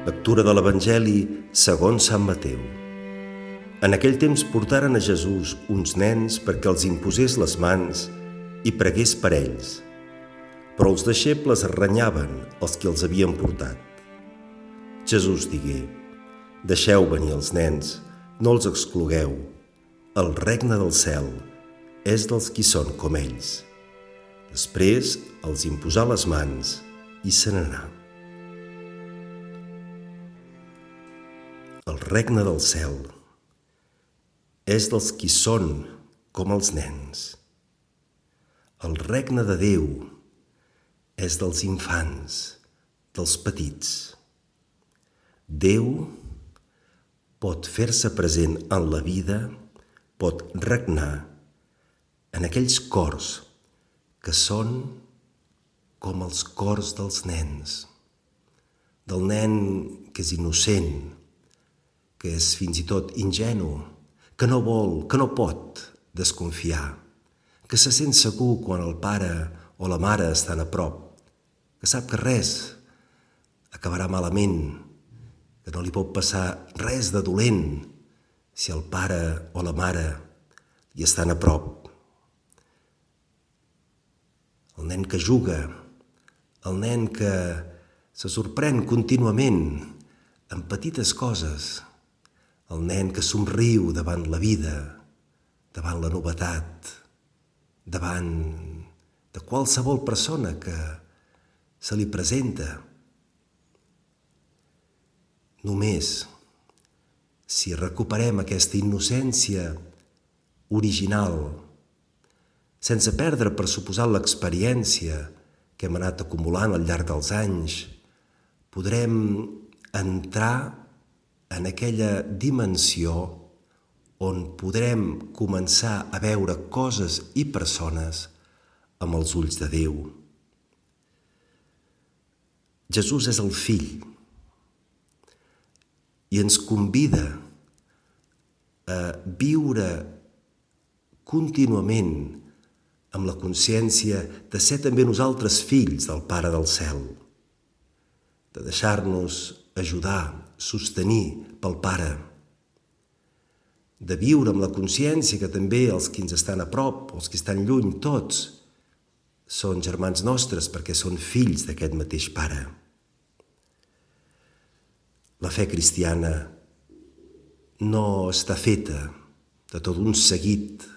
Lectura de l'Evangeli segons Sant Mateu. En aquell temps portaren a Jesús uns nens perquè els imposés les mans i pregués per ells. Però els deixebles renyaven els que els havien portat. Jesús digué: «Deixeu venir els nens, no els exclogueu. El regne del cel és dels qui són com ells». Després els imposà les mans i se n'anà. El regne del cel és dels qui són com els nens. El regne de Déu és dels infants, dels petits. Déu pot fer-se present en la vida, pot regnar en aquells cors que són com els cors dels nens, del nen que és innocent, que és fins i tot ingenu, que no vol, que no pot desconfiar, que se sent segur quan el pare o la mare estan a prop, que sap que res acabarà malament, que no li pot passar res de dolent si el pare o la mare hi estan a prop. El nen que juga, el nen que se sorprèn contínuament en petites coses, el nen que somriu davant la vida, davant la novetat, davant de qualsevol persona que se li presenta. Només si recuperem aquesta innocència original, sense perdre per suposat l'experiència que hem anat acumulant al llarg dels anys, podrem entrar en aquella dimensió on podrem començar a veure coses i persones amb els ulls de Déu. Jesús és el Fill i ens convida a viure contínuament amb la consciència de ser també nosaltres fills del Pare del Cel, de deixar-nos ajudar, sostenir pel Pare, de viure amb la consciència que també els que ens estan a prop, els que estan lluny, tots són germans nostres perquè són fills d'aquest mateix Pare. La fe cristiana no està feta de tot un seguit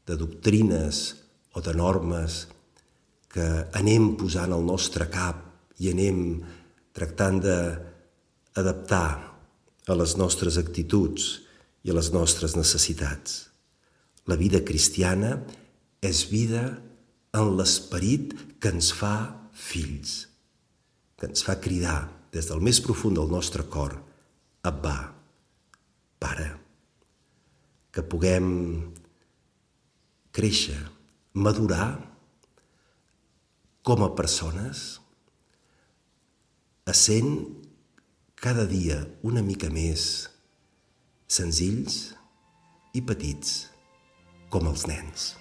de doctrines o de normes que anem posant al nostre cap i anem tractant d'adaptar a les nostres actituds i a les nostres necessitats. La vida cristiana és vida en l'esperit que ens fa fills, que ens fa cridar des del més profund del nostre cor: Abbà, Pare. Que puguem créixer, madurar com a persones, essent cada dia una mica més senzills i petits com els nens.